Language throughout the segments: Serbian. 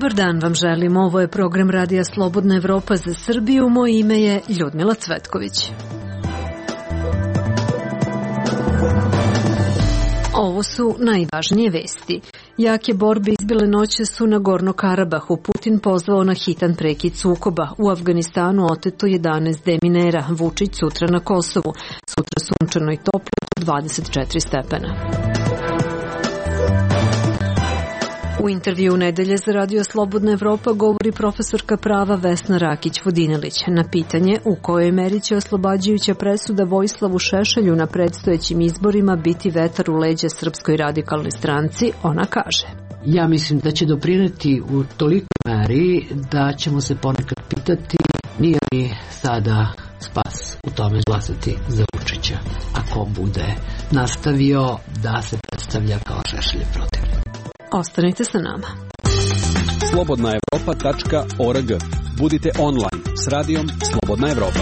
Dobar dan vam želim, ovo je program Radija Slobodna Evropa za Srbiju, moje ime je Ljudmila Cvetković. Ovo su najvažnije vesti. Jake borbe izbile noćas u Nagorno-Karabahu. Putin pozvao na hitan prekid sukoba. U Afganistanu oteto 11 deminera. Vučić sutra na Kosovu. Sutra sunčano i toplo, 24 stepena. U intervju nedelje za Radio Slobodna Evropa govori profesorka prava Vesna Rakić-Vodinelić. Na pitanje u kojoj meri će oslobađajuća presuda Vojislavu Šešelju na predstojećim izborima biti vetar u leđa Srpskoj radikalnoj stranci, ona kaže: Ja mislim da će doprineti u tolikoj meri da ćemo se ponekad pitati nije li sada spas u tome glasati za Vučića ako bude nastavio da se predstavlja kao Šešeljev protivnik. Ostanite sa nama. slobodnaevropa.org. Budite online s radijom Slobodna Evropa.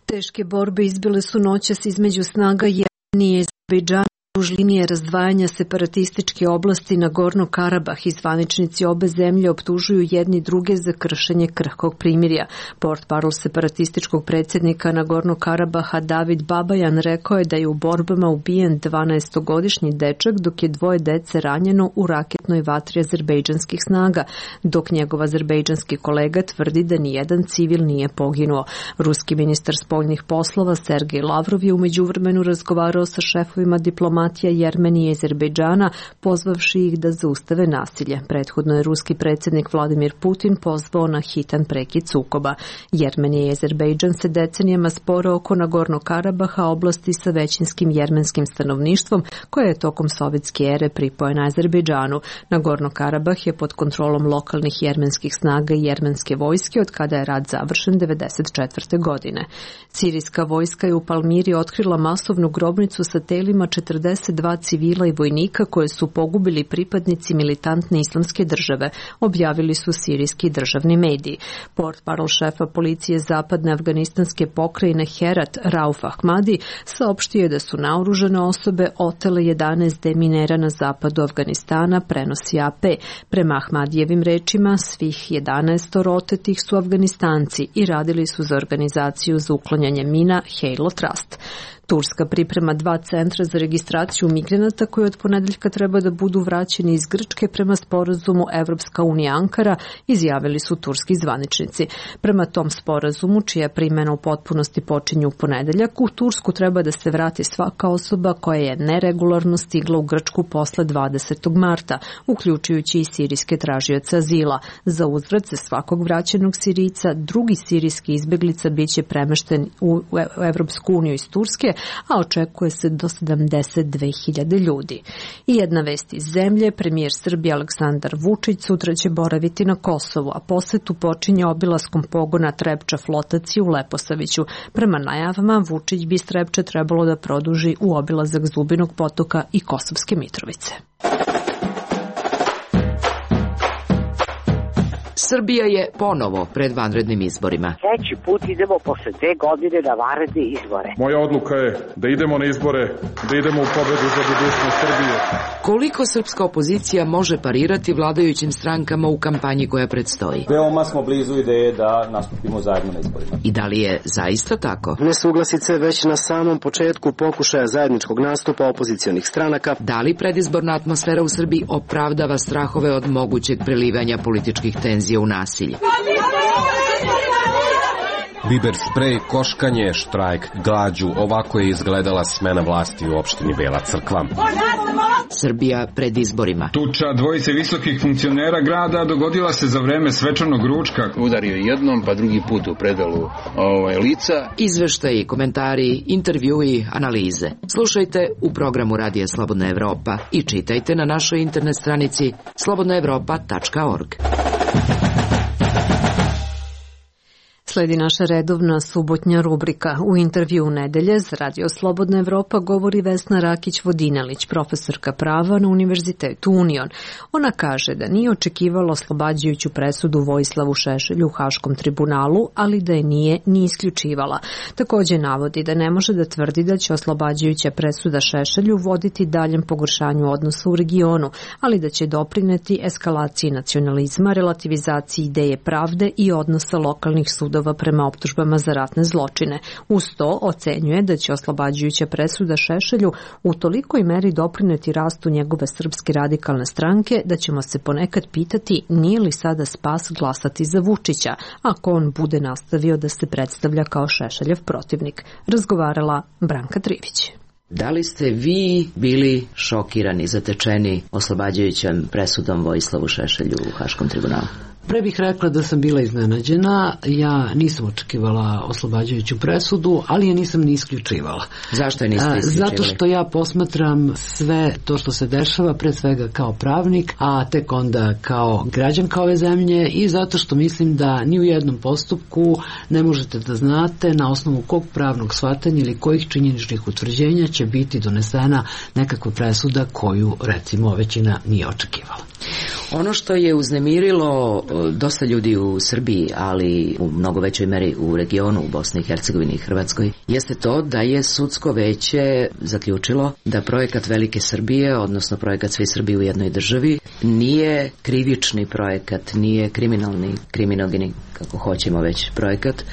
Teške borbe izbile su noćas između snaga Jermenije i Azerbejdžana duž linije razdvajanja separatističke oblasti Nagorno-Karabah i zvaničnici obe zemlje optužuju jedni druge za kršenje krhkog primirja. Portparol separatističkog predsjednika Nagorno-Karabaha David Babajan rekao je da je u borbama ubijen 12-godišnji dečak, dok je 2 dece ranjeno u raketnoj vatri azerbejdžanskih snaga, dok njegov azerbejdžanski kolega tvrdi da nijedan civil nije poginuo. Ruski ministar spoljnih poslova Sergej Lavrov je u međuvremenu razgovarao sa šefovima diplomatija Jermenije i Azerbejdžana, pozvavši ih da zaustave nasilje. Prethodno je ruski predsjednik Vladimir Putin pozvao na hitan prekid sukoba. Jermenija i Azerbejdžan se decenijama spore oko Nagorno-Karabaha, oblasti sa većinskim jermenskim stanovništvom, koje je tokom sovjetske ere pripojena Azerbejdžanu. Nagorno-Karabah je pod kontrolom lokalnih jermenskih snaga i jermenske vojske od kada je rat završen 1994. godine. Sirijska vojska je u Palmiri otkrila masovnu grobnicu sa telima 42 civila i vojnika koje su pogubili pripadnici militantne islamske države, objavili su sirijski državni mediji. Portparol šefa policije zapadne afganistanske pokrajine Herat, Rauf Ahmadi, saopštio je da su naoružane osobe otele 11 deminera na zapadu Afganistana, prenosi AP. Prema Ahmadijevim rečima, svih 11 otetih su Afganistanci i radili su za organizaciju za uklanjanje mina Halo Trust. Turska priprema 2 centra za registraciju migranata koji od ponedeljka treba da budu vraćeni iz Grčke prema sporazumu Evropska unija Ankara, izjavili su turski zvaničnici. Prema tom sporazumu, čija primjena u potpunosti počinje u ponedeljak, u Tursku treba da se vrati svaka osoba koja je neregularno stigla u Grčku posle 20. marta, uključujući i sirijske tražioce azila. Za uzvrat se svakog vraćenog Sirijca, drugi sirijski izbeglica biće premešten u Evropsku uniju iz Turske, a očekuje se do 72.000 ljudi. I jedna vest iz zemlje, premijer Srbije Aleksandar Vučić sutra će boraviti na Kosovu, a posetu počinje obilaskom pogona Trepča flotacije u Leposaviću. Prema najavama, Vučić bi Trepče trebalo da produži u obilazak Zubinog potoka i Kosovske Mitrovice. Srbija je ponovo pred vanrednim izborima. Treći put idemo posle 2 godine na vanredne izbore. Moja odluka je da idemo na izbore, da idemo u pobedu za budućnost Srbije. Koliko srpska opozicija može parirati vladajućim strankama u kampanji koja predstoji? Veoma smo blizu ideje da nastupimo zajedno na izborima. I da li je zaista tako? Nesuglasice već na samom početku pokušaja zajedničkog nastupa opozicionih stranaka. Da li predizborna atmosfera u Srbiji opravdava strahove od mogućeg prelivanja političkih tenzija u nasilje? Biber sprej, koškanje, štrajk, glađu, ovako je izgledala smena vlasti u opštini Bela Crkva. Srbija pred izborima. Tuča dvojice visokih funkcionera grada dogodila se za vreme svečanog ručka. Udario jednom, pa drugi put u predalu lica. Izveštaji, komentari, intervjui, analize. Slušajte u programu Radija Slobodna Evropa i čitajte na našoj internet stranici slobodnaevropa.org. Sledi naša redovna subotnja rubrika. U intervju nedelje za Radio Slobodna Evropa govori Vesna Rakić-Vodinelić, profesorka prava na Univerzitetu Union. Ona kaže da nije očekivala oslobađajuću presudu Vojislavu Šešelju u Haškom tribunalu, ali da je nije ni isključivala. Također navodi da ne može da tvrdi da će oslobađajuća presuda Šešelju voditi daljem pogoršanju odnosa u regionu, ali da će doprineti eskalaciji nacionalizma, relativizaciji ideje pravde i odnosa lokalnih sudova prema optužbama za ratne zločine. Uz to ocenjuje da će oslobađajuća presuda Šešelju u tolikoj meri doprineti rastu njegove Srpske radikalne stranke da ćemo se ponekad pitati nije li sada spas glasati za Vučića, ako on bude nastavio da se predstavlja kao Šešeljev protivnik. Razgovarala Branka Trivić. Da li ste vi bili šokirani, zatečeni oslobađajućom presudom Vojislavu Šešelju u Haškom tribunalu? Pre bih rekla da sam bila iznenađena, ja nisam očekivala oslobađajuću presudu, ali je nisam ni isključivala. Zašto je niste isključivali? Zato što ja posmatram sve to što se dešava, pre svega kao pravnik, a tek onda kao građanka ove zemlje i zato što mislim da ni u jednom postupku ne možete da znate na osnovu kog pravnog shvatanja ili kojih činjeničnih utvrđenja će biti donesena nekakva presuda koju recimo većina nije očekivala. Ono što je uznemirilo dosta ljudi u Srbiji, ali u mnogo većoj meri u regionu, u Bosni i Hercegovini i Hrvatskoj, jeste to da je sudsko veće zaključilo da projekat Velike Srbije, odnosno projekat Svi Srbi u jednoj državi, nije krivični projekat, nije kriminalni, kriminogeni, kako hoćemo već, projekat,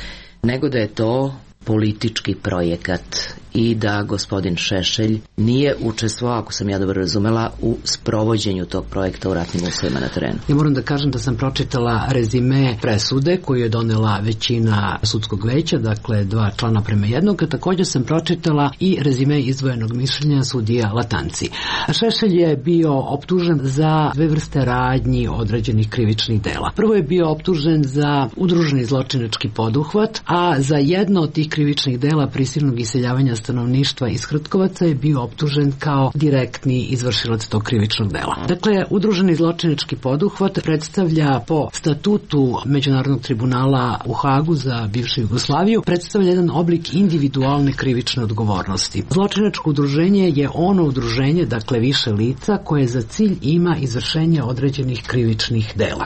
nego da je to politički projekat i da gospodin Šešelj nije učestvovao, ako sam ja dobro razumela, u sprovođenju tog projekta u ratnim uslovima na terenu. Ja moram da kažem da sam pročitala rezime presude koju je donela većina sudskog veća, dakle 2 člana prema 1, također sam pročitala i rezime izdvojenog mišljenja sudija Latanci. Šešelj je bio optužen za 2 vrste radnji određenih krivičnih dela. Prvo je bio optužen za udruženi zločinački poduhvat, a za jedno od tih krivičnih dela prisilnog iseljavanja stanovništva iz Hrtkovaca je bio optužen kao direktni izvršilac tog krivičnog dela. Dakle, udruženi zločinački poduhvat predstavlja po statutu Međunarodnog tribunala u Hagu za bivšu Jugoslaviju, predstavlja jedan oblik individualne krivične odgovornosti. Zločinačko udruženje je ono udruženje, dakle više lica, koje za cilj ima izvršenje određenih krivičnih dela.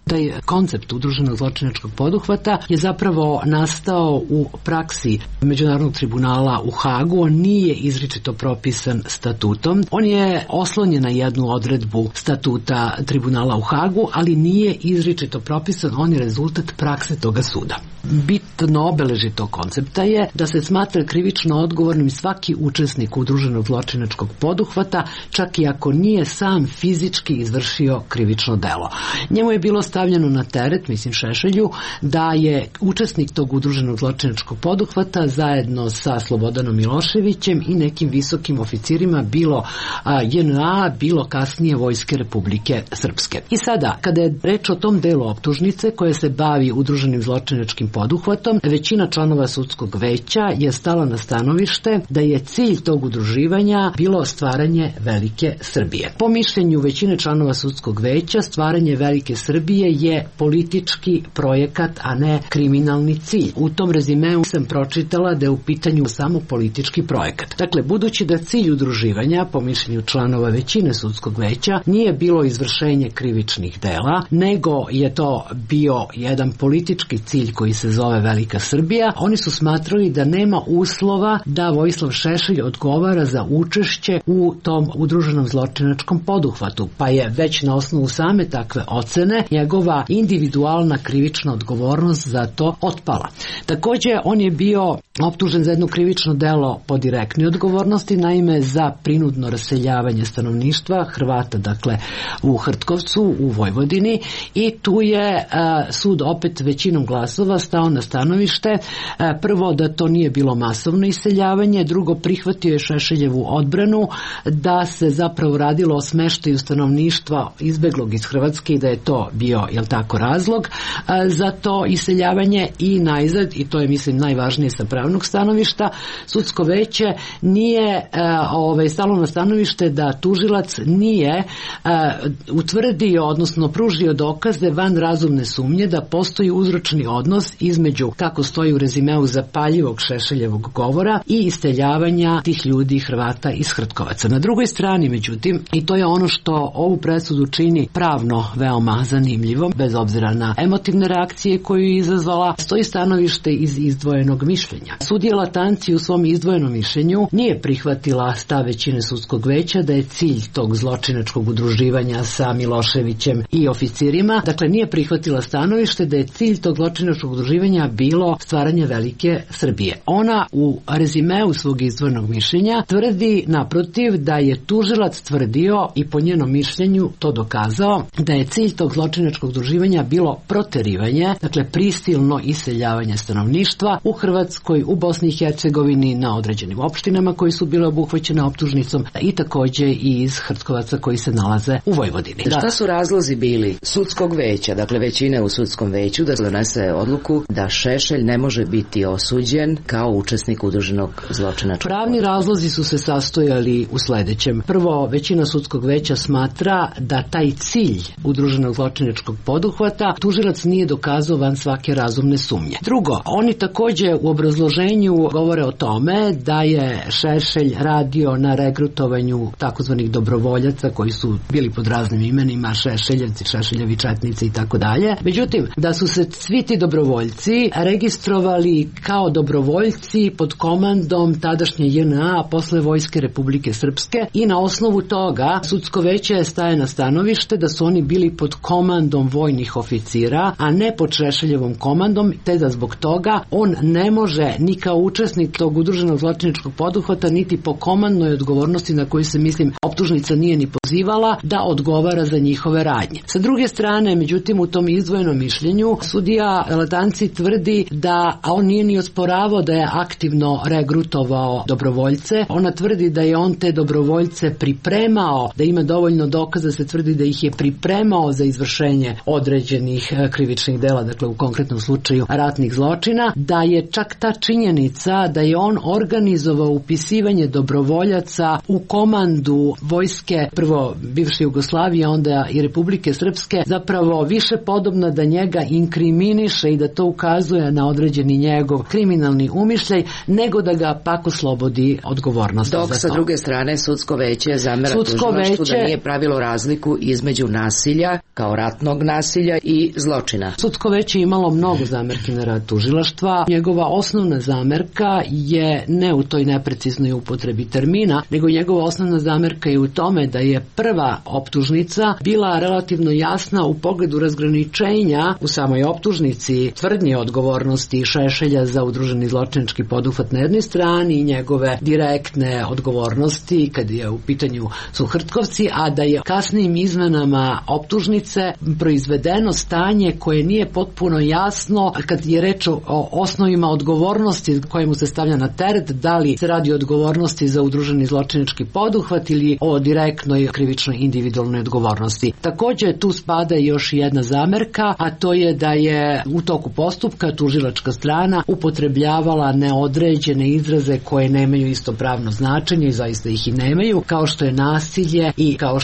Taj koncept udruženog zločinačkog poduhvata je zapravo nastao u praksi Međunarodnog tribunala u Hagu. On nije izričito propisan statutom. On je oslonjen na jednu odredbu statuta tribunala u Hagu, ali nije izričito propisan. On je rezultat prakse toga suda. Bitno obeležje tog koncepta je da se smatra krivično odgovornim svaki učesnik udruženog zločinačkog poduhvata, čak i ako nije sam fizički izvršio krivično delo. Njemu je bilo stavljeno na teret, mislim Šešelju, da je učesnik tog udruženog zločinačkog poduhvata zajedno sa Slobodanom Miloševićem i nekim visokim oficirima bilo JNA, bilo kasnije Vojske Republike Srpske. I sada, kada je reč o tom delu optužnice koje se bavi udruženim zločinačkim poduhvatom, većina članova sudskog veća je stala na stanovište da je cilj tog udruživanja bilo stvaranje Velike Srbije. Po mišljenju većine članova sudskog veća, stvaranje Velike Srbije je politički projekat, a ne kriminalni cilj. U tom rezimeu sam pročitala da je u pitanju samo politički projekat. Dakle, budući da cilj udruživanja, po mišljenju članova većine sudskog veća, nije bilo izvršenje krivičnih dela, nego je to bio jedan politički cilj koji se zove Velika Srbija, oni su smatrali da nema uslova da Vojislav Šešelj odgovara za učešće u tom udruženom zločinačkom poduhvatu, pa je već na osnovu same takve ocene njegova individualna krivična odgovornost za to otpala. Također, on je bio optužen za jedno krivično delo po direktnoj odgovornosti, naime za prinudno raseljavanje stanovništva Hrvata, dakle u Hrtkovcu, u Vojvodini, i tu je sud opet većinom glasova stao na stanovište, prvo da to nije bilo masovno iseljavanje, drugo prihvatio je Šešeljevu odbranu da se zapravo radilo o smeštaju stanovništva izbeglog iz Hrvatske i da je to bio bio, jel tako, razlog za to iseljavanje i najzad, i to je mislim najvažnije sa pravnog stanovišta, sudsko veće nije stalo na stanovište da tužilac nije utvrdio, odnosno pružio dokaze van razumne sumnje da postoji uzročni odnos između, kako stoji u rezimeu, zapaljivog Šešeljevog govora i iseljavanja tih ljudi, Hrvata iz Hrtkovaca. Na drugoj strani, međutim, i to je ono što ovu presudu čini pravno veoma zanimljivom, bez obzira na emotivne reakcije koju je izazvala, stoji stanovište iz izdvojenog mišljenja. Sudija Latanci u svom izdvojenom mišljenju nije prihvatila stav većine sudskog veća da je cilj tog zločinačkog udruživanja sa Miloševićem i oficirima, dakle nije prihvatila stanovište da je cilj tog zločinačkog udruživanja bilo stvaranje velike Srbije. Ona u rezimeu svog izdvojenog mišljenja tvrdi naprotiv da je tužilac tvrdio i po njenom mišljenju to dokazao da je cilj tog zločinačkog udruživanja bilo proterivanje, dakle prisilno iseljavanje stanovništva u Hrvatskoj, u Bosni i Hercegovini, na određenim opštinama koji su bile obuhvaćene optužnicom i takođe i iz Hrtkovaca koji se nalaze u Vojvodini. Šta su razlozi bili sudskog veća, dakle većine u sudskom veću, da donese odluku da Šešelj ne može biti osuđen kao učesnik udruženog zločinačkog? Pravni razlozi su se sastojali u sledećem. Prvo, većina sudskog veća smatra da taj cilj udruženog zločinačkog poduhvata tužilac nije dokazao van svake razumne sumnje. Drugo, oni takođe u obrazloženju govore o tome da je Šešelj radio na regrutovanju takozvanih dobrovoljaca koji su bili pod raznim imenima, Šešeljevci, Šešeljevi četnici i tako dalje. Međutim, da su se svi ti dobrovoljci registrovali kao dobrovoljci pod komandom tadašnje JNA, a posle Vojske Republike Srpske, i na osnovu toga sudsko veće staje na stanovište da su oni bili pod komandom vojnih oficira, a ne pod Šešeljevom komandom, te da zbog toga on ne može ni kao učesnik tog udruženog zločinačkog poduhvata, niti po komandnoj odgovornosti na koju se, mislim, optužnica nije ni pozivala, da odgovara za njihove radnje. Sa druge strane, međutim, u tom izdvojenom mišljenju sudija Latanci tvrdi da on nije ni osporavao da je aktivno regrutovao dobrovoljce. Ona tvrdi da je on te dobrovoljce pripremao, da ima dovoljno dokaza, se tvrdi da ih je pripremao za izvršenje određenih krivičnih dela, dakle u konkretnom slučaju ratnih zločina, da je čak ta činjenica da je on organizovao upisivanje dobrovoljaca u komandu vojske, prvo bivše Jugoslavije, onda i Republike Srpske, zapravo više podobna da njega inkriminiše i da to ukazuje na određeni njegov kriminalni umišljaj, nego da ga pak oslobodi odgovornosti. Dok sa druge strane sudsko veće zamera tužilaštvu da nije pravilo razliku između nasilja kao ratnog nasilja i zločina. Sudsko veće imalo mnogo zamerki na rad tužilaštva. Njegova osnovna zamerka je ne u toj nepreciznoj upotrebi termina, nego njegova osnovna zamerka je u tome da je prva optužnica bila relativno jasna u pogledu razgraničenja u samoj optužnici tvrdnje odgovornosti Šešelja za udruženi zločinački poduhvat na jednoj strani i njegove direktne odgovornosti kad je u pitanju su Hrtkovci, a da je kasnijim izmenama optužnice proizvedeno stanje koje nije potpuno jasno kad je reč o osnovima odgovornosti kojemu se stavlja na teret, da li se radi o odgovornosti za udruženi zločinački poduhvat ili o direktnoj krivičnoj individualnoj odgovornosti. Takođe tu spada još jedna zamerka, a to je da je u toku postupka tužilačka strana upotrebljavala neodređene izraze koje nemaju isto pravno značenje i zaista ih i nemaju, kao što je nasilje i kao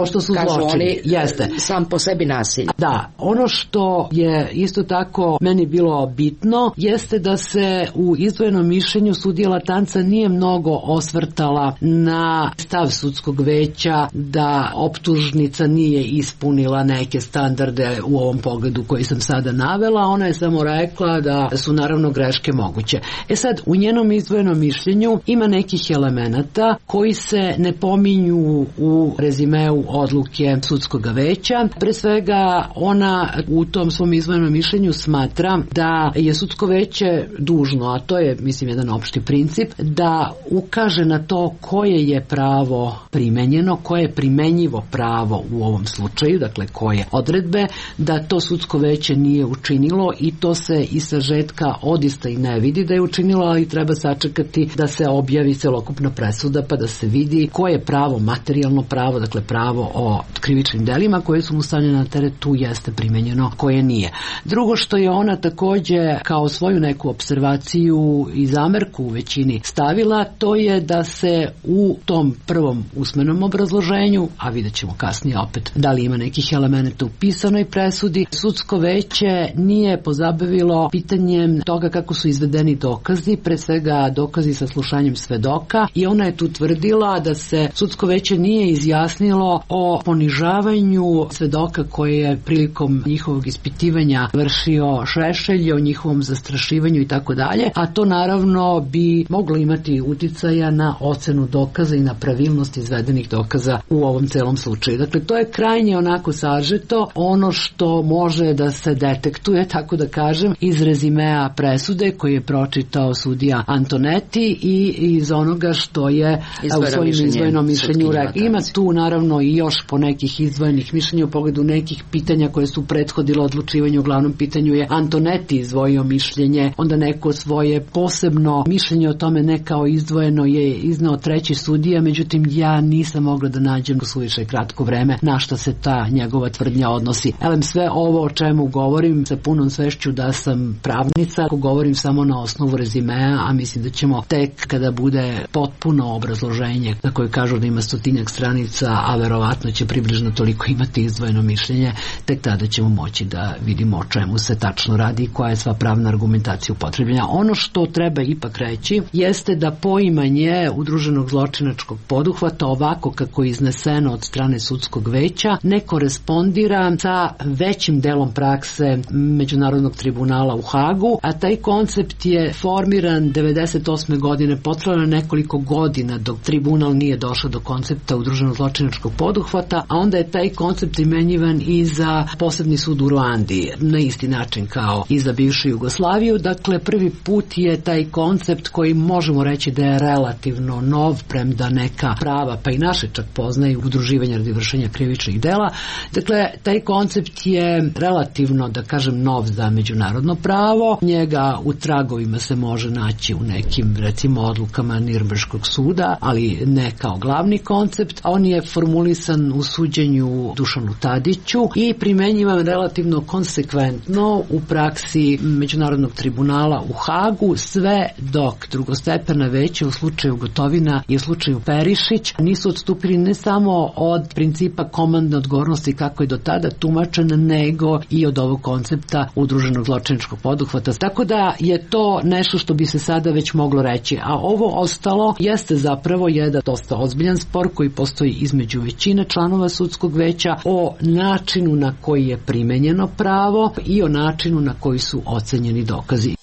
što su zločini. Jeste. Sam po sebi nasilje. Da, ono što je isto tako meni bilo bitno jeste da se u izdvojenom mišljenju sudija Latanca nije mnogo osvrtala na stav sudskog veća da optužnica nije ispunila neke standarde u ovom pogledu koji sam sada navela. Ona je samo rekla da su naravno greške moguće. Sad, u njenom izdvojenom mišljenju ima nekih elemenata koji se ne pominju u rezimeu odluke sudskog veća. Pre svega, ona u tom svom izdvojenom mišljenju smatra da je sudsko veće dužno, a to je, mislim, jedan opšti princip, da ukaže na to koje je pravo primenjeno, koje je primenjivo pravo u ovom slučaju, dakle koje odredbe, da to sudsko veće nije učinilo i to se iz sažetka odista i ne vidi da je učinilo, ali treba sačekati da se objavi celokupna presuda pa da se vidi koje je pravo, materijalno pravo, dakle pravo o krivičnim delima koje su mu stavljene na teret, tu jeste primenjeno, koje nije. Drugo što je ona takođe kao svoju neku observaciju i zamerku u većini stavila, to je da se u tom prvom usmenom obrazloženju, a vidjet ćemo kasnije opet da li ima nekih elemenata u pisanoj presudi, sudsko veće nije pozabavilo pitanjem toga kako su izvedeni dokazi, pre svega dokazi sa slušanjem svedoka, i ona je tu tvrdila da se sudsko veće nije izjasnilo o ponižavanju svedoka koje je prilikom njihovog ispitivanja vršio Šešelj, o njihovom zastrašivanju i tako dalje, a to naravno bi moglo imati uticaja na ocenu dokaza i na pravilnost izvedenih dokaza u ovom celom slučaju. Dakle, to je krajnje onako sažeto ono što može da se detektuje, tako da kažem, iz rezimea presude koji je pročitao sudija Antonetti i iz onoga što je u svojim izdvojenom mišljenju rekao. Ima tu naravno i još po nekih izdvojenih mišljenja u pogledu nekih pitanja koje su prethodilo odlučivanju. U glavnom pitanju je Antonetti izdvojio mišljenje, onda neko svoje posebno mišljenje o tome ne kao izdvojeno je izneo treći sudija, međutim ja nisam mogla da nađem u suviše kratko vreme na šta se ta njegova tvrdnja odnosi. Elem, sve ovo o čemu govorim sa punom svešću da sam pravnica, ako govorim samo na osnovu rezimea, a mislim da ćemo tek kada bude potpuno obrazloženje na koje kažu da ima 100-tinjak stranica, a verovatno će približno toliko imati izdvojeno mišljenje, tek tada ćemo moći da vidimo o čemu se tačno radi i koja je sva pravna argumentacija upotrebljena. Ono što treba ipak reći jeste da poimanje udruženog zločinačkog poduhvata ovako kako je izneseno od strane sudskog veća ne korespondira sa većim delom prakse Međunarodnog tribunala u Hagu, a taj koncept je formiran 98. godine, potrajalo nekoliko godina dok tribunal nije došao do koncepta udruženog zločinačkog poduhvata, a onda je taj koncept primenjivan i za posebni sud u Ruandi, na isti način kao i za bivšu Jugoslaviju. Dakle, prvi put je taj koncept koji možemo reći da je relativno nov, premda neka prava, pa i naše čak poznaju udruživanje radi vršenja krivičnih dela. Dakle, taj koncept je relativno, da kažem, nov za međunarodno pravo. Njega u tragovima se može naći u nekim, recimo, odlukama Nirnberškog suda, ali ne kao glavni koncept. On je formulisan u suđenju Dušanu Tadiću i primenjivan relativno konsekventno u praksi Međunarodnog tribunala u Hagu, sve dok drugostepena veća u slučaju Gotovina i u slučaju Perišić nisu odstupili ne samo od principa komandne odgovornosti kako je do tada tumačen, nego i od ovog koncepta udruženog zločinačkog poduhvata. Tako da je to nešto što bi se sada već moglo reći. A ovo ostalo jeste zapravo jedan dosta ozbiljan spor koji postoji između većine članova sudskog veća o načinu na koji je primenjeno pravo i o načinu na koji su ocenjeni dokazi.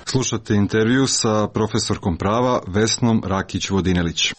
Slušate intervju sa profesorkom prava Vesnom Rakić-Vodinelić.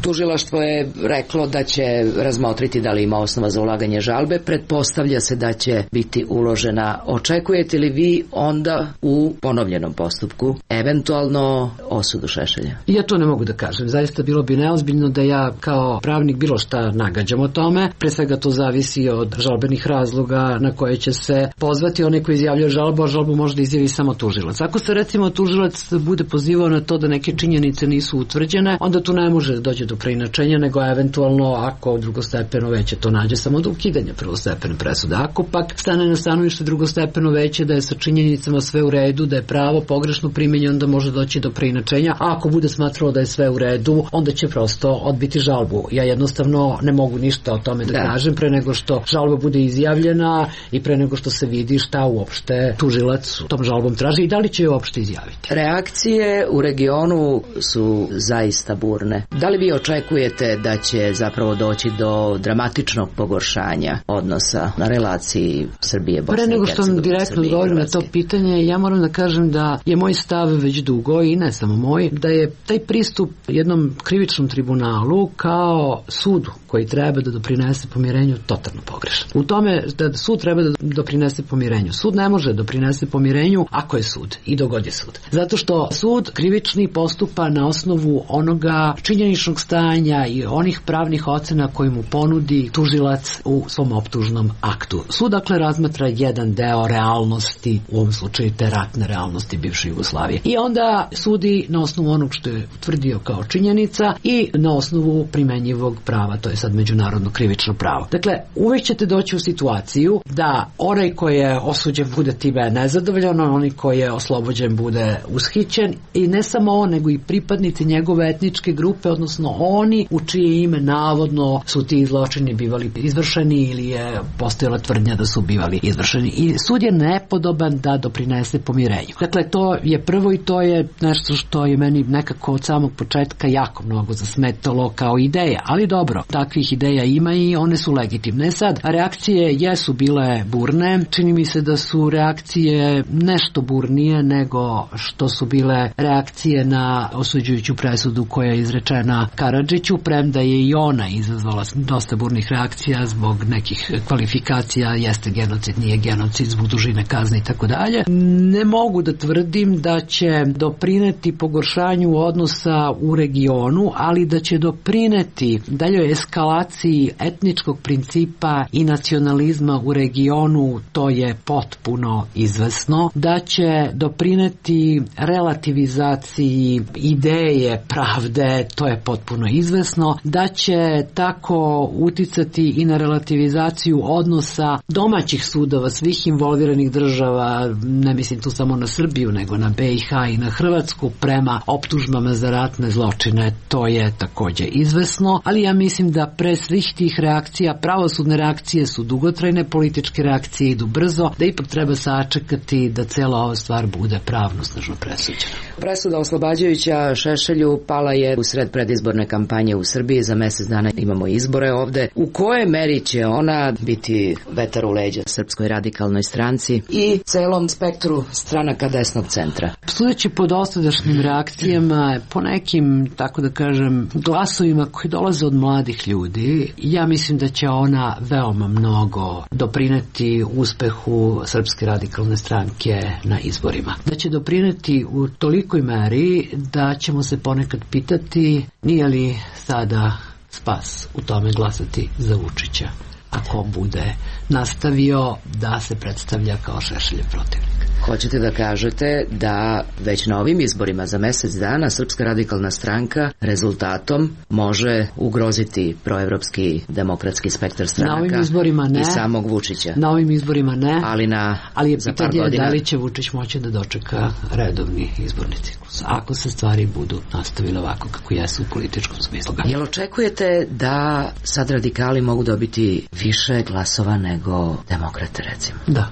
Tužilaštvo je reklo da će razmotriti da li ima osnova za ulaganje žalbe. Pretpostavlja se da će biti uložena. Očekujete li vi onda u ponovljenom postupku eventualno osudu Šešelja? Ja to ne mogu da kažem. Zaista bilo bi neozbiljno da ja kao pravnik bilo šta nagađam o tome. Pre svega to zavisi od žalbenih razloga na koje će se pozvati onaj koji izjavljuje žalbu, a žalbu može da izjavi samo tužilac. Ako se recimo tužilac bude pozivao na to da neke činjenice nisu utvrđene, onda tu ne može da dođe do preinačenja, nego eventualno ako drugostepeno veće to nađe samo do ukidanja prvostepene presude. Ako pak stane na stanovište drugostepeno veće da je sa činjenicama sve u redu, da je pravo pogrešno primenjeno, onda može doći do preinačenja, a ako bude smatralo da je sve u redu, onda će prosto odbiti žalbu. Ja jednostavno ne mogu ništa o tome da kažem pre nego što žalba bude izjavljena i pre nego što se vidi šta uopšte tužilac tom žalbom traži i da li će je uopšte izjaviti. Reakcije u regionu su zaista burne. Da li vi očekujete da će zapravo doći do dramatičnog pogoršanja odnosa na relaciji Srbije-Bosne i Hercegovine? Pre nego što vam direktno odgovorim na to pitanje, ja moram da kažem da je moj stav već dugo i ne samo moj, da je taj pristup jednom krivičnom tribunalu kao sudu koji treba da doprinese pomirenju totalno pogrešan. U tome da sud treba da doprinese pomirenju. Sud ne može doprinese pomirenju ako je sud i dok god je sud. Zato što sud krivični postupa na osnovu onoga činjeničnog stanja stanja i onih pravnih ocena koji mu ponudi tužilac u svom optužnom aktu. Sud dakle razmatra jedan deo realnosti, u ovom slučaju te ratne realnosti bivše Jugoslavije. I onda sudi na osnovu onog što je utvrdio kao činjenica i na osnovu primenjivog prava, to je sad međunarodno krivično pravo. Dakle, uvijek ćete doći u situaciju da onaj koji je osuđen bude time nezadovoljan, onaj koji je oslobođen bude ushićen i ne samo on, nego i pripadnici njegove etničke grupe, odnosno oni u čije ime navodno su ti zločini bivali izvršeni ili je postojala tvrdnja da su bivali izvršeni. I sud je nepodoban da doprinese pomirenju. Dakle, to je prvo i to je nešto što je meni nekako od samog početka jako mnogo zasmetalo kao ideja, ali dobro, takvih ideja ima i one su legitimne. Sad, reakcije jesu bile burne, čini mi se da su reakcije nešto burnije nego što su bile reakcije na osuđujuću presudu koja je izrečena Karadžiću, premda je i ona izazvala dosta burnih reakcija zbog nekih kvalifikacija, jeste genocid, nije genocid, zbog dužine kazne i tako dalje. Ne mogu da tvrdim da će doprineti pogoršanju odnosa u regionu, ali da će doprineti daljoj eskalaciji etničkog principa i nacionalizma u regionu, to je potpuno izvesno. Da će doprineti relativizaciji ideje pravde, to je potpuno izvesno. Da će tako uticati i na relativizaciju odnosa domaćih sudova, svih involviranih država, ne mislim tu samo na Srbiju, nego na BiH i na Hrvatsku prema optužbama za ratne zločine, to je također izvesno, ali ja mislim da pre svih tih reakcija, pravosudne reakcije su dugotrajne, političke reakcije idu brzo, da ipak treba sačekati da cela ova stvar bude pravnosnažno presuđena. Presuda oslobađajuća Šešelju pala je u sred predizborne kampanje u Srbiji, za mjesec dana imamo izbore ovde. U koje meri će ona biti vetar u leđa Srpskoj radikalnoj stranci i celom spektru stranaka desnog centra? Sudeći po dosadašnjim reakcijama, po nekim, tako da kažem, glasovima koji dolaze od mladih ljudi, ja mislim da će ona veoma mnogo doprineti uspehu Srpske radikalne stranke na izborima. Da će doprineti u tolikoj meri da ćemo se ponekad pitati nije li sada spas u tome glasati za Vučića, ako bude nastavio da se predstavlja kao Šešeljev protivnik. Hoćete da kažete da već na ovim izborima za mjesec dana Srpska radikalna stranka rezultatom može ugroziti proevropski demokratski spektar stranaka na ovim izborima ne, i samog Vučića? Na ovim izborima ne, ali je pitanje da li će Vučić moći da dočeka redovni izborni ciklus, ako se stvari budu nastavile ovako kako jesu u političkom smislu. Jel očekujete da sad radikali mogu dobiti više glasova nego demokrate, recimo? Da,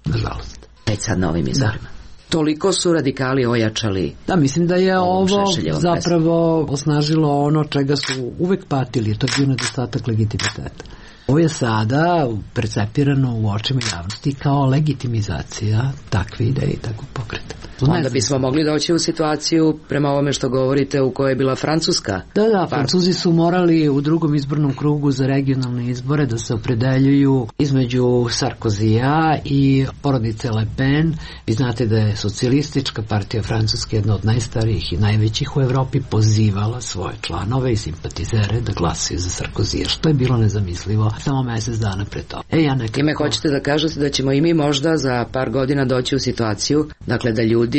nažalost. Već sad na ovim izborima. Toliko su radikali ojačali. Da, mislim da je ovo zapravo osnažilo ono čega su uvek patili, to je bio nedostatak legitimiteta. Ovo je sada percepirano u očima javnosti kao legitimizacija takve ideje i takvog pokreta. Onda bismo mogli doći u situaciju, prema ovome što govorite, u kojoj je bila Francuska. Da, Francuzi su morali u drugom izbornom krugu za regionalne izbore da se opredeljuju između Sarkozija i porodice Le Pen. Vi znate da je socijalistička partija Francuske, jedna od najstarijih i najvećih u Evropi, pozivala svoje članove i simpatizere da glasaju za Sarkozija, što je bilo nezamislivo samo mjesec dana pre toga. Time hoćete da kažete da ćemo i mi možda za par godina doći u situaciju, dakle da ljudi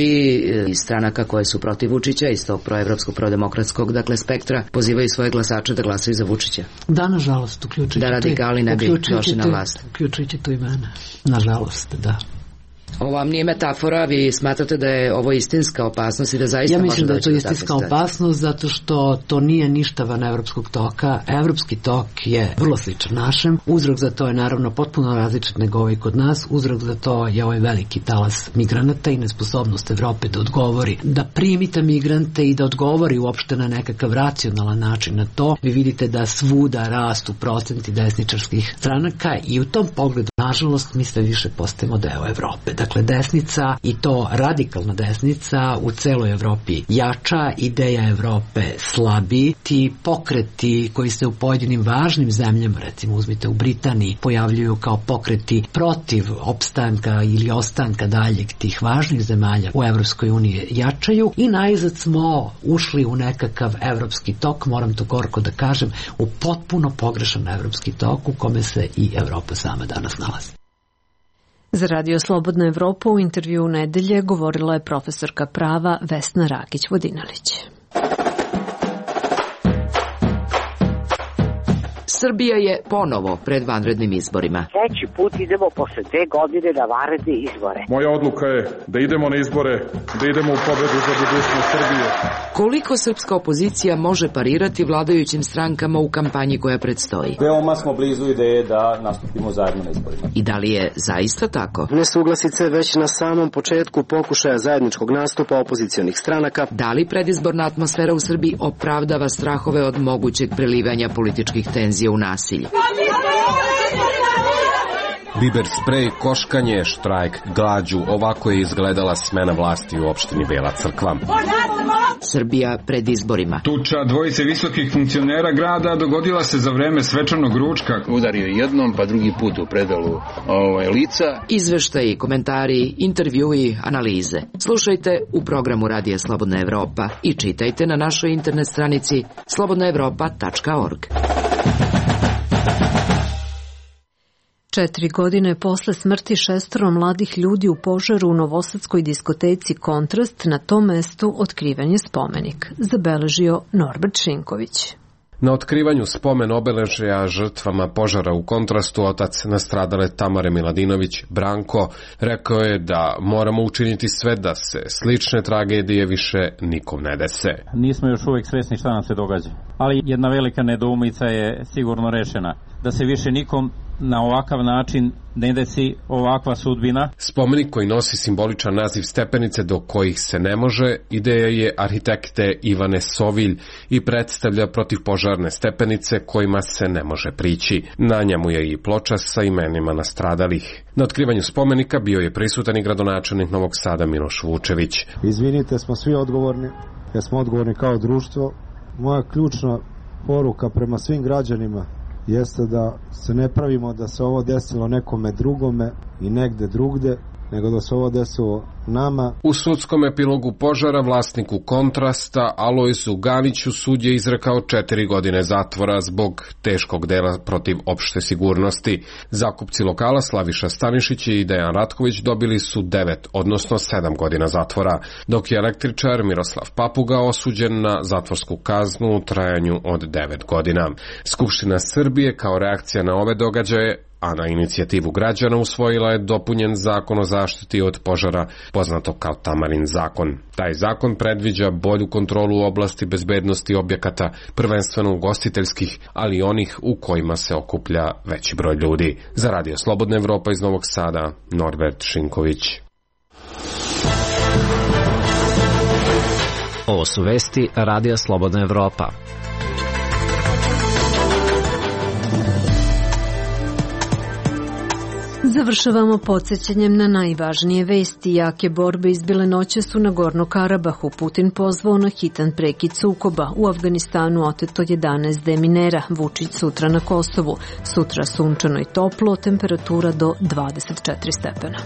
iz stranaka koje su protiv Vučića, iz tog proevropskog, prodemokratskog, dakle spektra, pozivaju svoje glasače da glasaju za Vučića? Da, nažalost, uključujući da radikali ne bi došli na vlast. Uključujući to i mene. Nažalost, da. Ovo vam nije metafora, vi smatrate da je ovo istinska opasnost i da zaista može doći do takve situacije? Ja mislim da je to istinska opasnost zato što to nije ništa van evropskog toka. Evropski tok je vrlo sličan našem. Uzrok za to je naravno potpuno različit nego ovaj kod nas. Uzrok za to je ovaj veliki talas migranata i nesposobnost Evrope da odgovori, da primi te migrante i da odgovori uopšte na nekakav racionalan način na to. Vi vidite da svuda rastu procenti desničarskih stranaka i u tom pogledu nažalost mi sve više postajemo deo Evrope. Dakle, desnica i to radikalna desnica u celoj Evropi jača, ideja Evrope slabi, ti pokreti koji se u pojedinim važnim zemljama, recimo uzmite u Britaniji, pojavljuju kao pokreti protiv opstanka ili ostanka daljeg tih važnih zemalja u Evropskoj uniji jačaju i najzad smo ušli u nekakav evropski tok, moram to gorko da kažem, u potpuno pogrešan evropski tok u kome se i Evropa sama danas nalazi. Za Radio Slobodna Evropa u intervju nedelje govorila je profesorka prava Vesna Rakić-Vodinelić. Srbija je ponovo pred vanrednim izborima. Treći put idemo posle 2 godine na vanredne izbore. Moja odluka je da idemo na izbore, da idemo u pobedu za budućnost Srbije. Koliko srpska opozicija može parirati vladajućim strankama u kampanji koja predstoji? Veoma smo blizu ideje da nastupimo zajedno na izborima. I da li je zaista tako? Nesuglasice već na samom početku pokušaja zajedničkog nastupa opozicionih stranaka. Da li predizborna atmosfera u Srbiji opravdava strahove od mogućeg prelivanja političkih tenzija u nasilje? Biber sprej, koškanje, štrajk, glađu, ovako je izgledala smena vlasti u opštini Bela Crkva. Srbija pred izborima. Tuča dvojice visokih funkcionera grada dogodila se za vreme svečanog ručka. Udario jednom, pa drugi put u predalu lica. Izveštaji, komentari, intervjui, analize. Slušajte u programu Radija Slobodna Evropa i čitajte na našoj internet stranici slobodnaevropa.org. 4 godine posle smrti 6 mladih ljudi u požaru u novosadskoj diskoteci Kontrast, na tom mestu otkriven je spomenik, zabeležio Norbert Šinković. Na otkrivanju spomen obeležja žrtvama požara u Kontrastu otac nastradale Tamare Miladinović, Branko, rekao je da moramo učiniti sve da se slične tragedije više nikom ne dese. Nismo još uvijek svesni šta nam se događa, ali jedna velika nedoumica je sigurno rešena, da se više nikom na ovakav način ne desi ovakva sudbina. Spomenik koji nosi simboličan naziv stepenice do kojih se ne može, ideja je arhitekte Ivane Sovilj i predstavlja protivpožarne stepenice kojima se ne može prići. Na njemu je i ploča sa imenima nastradalih. Na otkrivanju spomenika bio je prisutan i gradonačelnik Novog Sada Miloš Vučević. Izvinite, smo svi odgovorni, jer smo odgovorni kao društvo. Moja ključna poruka prema svim građanima jeste da se ne pravimo da se ovo desilo nekome drugome i negde drugde, nego da se ovo desilo nama. U sudskom epilogu požara vlasniku Kontrasta Alojzu Ganiću sud je izrekao 4 godine zatvora zbog teškog dela protiv opšte sigurnosti. Zakupci lokala Slaviša Stanišić i Dejan Ratković dobili su 9, odnosno 7 godina zatvora, dok je električar Miroslav Papuga osuđen na zatvorsku kaznu u trajanju od 9 godina. Skupština Srbije kao reakcija na ove događaje, a na inicijativu građana usvojila je dopunjen zakon o zaštiti od požara, poznato kao Tamarin zakon. Taj zakon predviđa bolju kontrolu u oblasti bezbednosti objekata, prvenstveno ugostiteljskih, ali i onih u kojima se okuplja veći broj ljudi. Za Radio Slobodna Evropa iz Novog Sada, Norbert Šinković. Ovo su vesti Radija Slobodna Evropa. Završavamo podsjećanjem na najvažnije vesti. Jake borbe izbile noćas u Nagorno Karabahu. Putin pozvao na hitan prekid sukoba. U Afganistanu oteto 11 deminera. Vučić sutra na Kosovu. Sutra sunčano i toplo, temperatura do 24 stepena.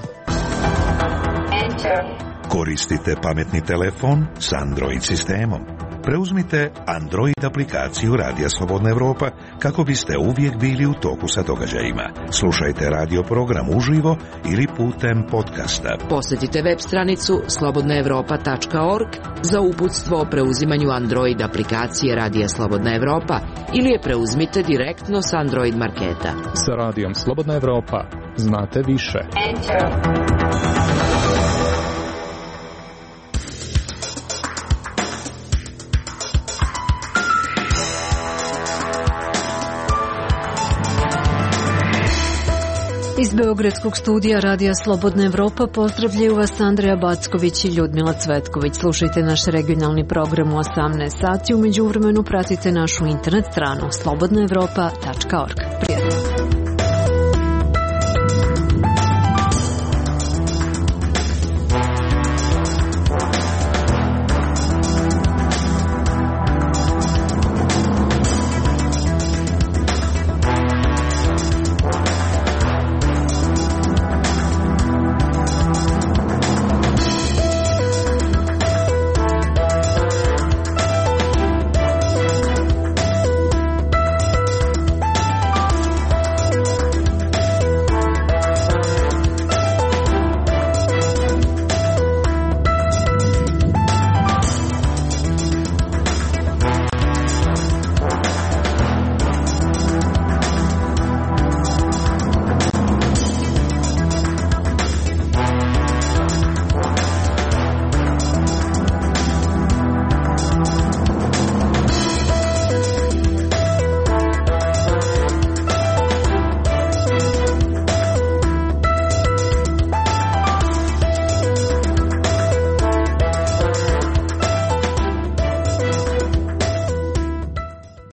Koristite pametni telefon s Android sistemom. Preuzmite Android aplikaciju Radija Slobodna Evropa kako biste uvijek bili u toku sa događajima. Slušajte radio program uživo ili putem podcasta. Posjetite web stranicu slobodnaevropa.org za uputstvo o preuzimanju Android aplikacije Radija Slobodna Evropa ili je preuzmite direktno s Android marketa. Sa Radijom Slobodna Evropa znate više. Iz Beogradskog studija Radija Slobodna Evropa pozdravljaju vas Andreja Backović i Ljudmila Cvetković. Slušajte naš regionalni program u 18 sati. U međuvremenu pratite našu internet stranu slobodnaevropa.org.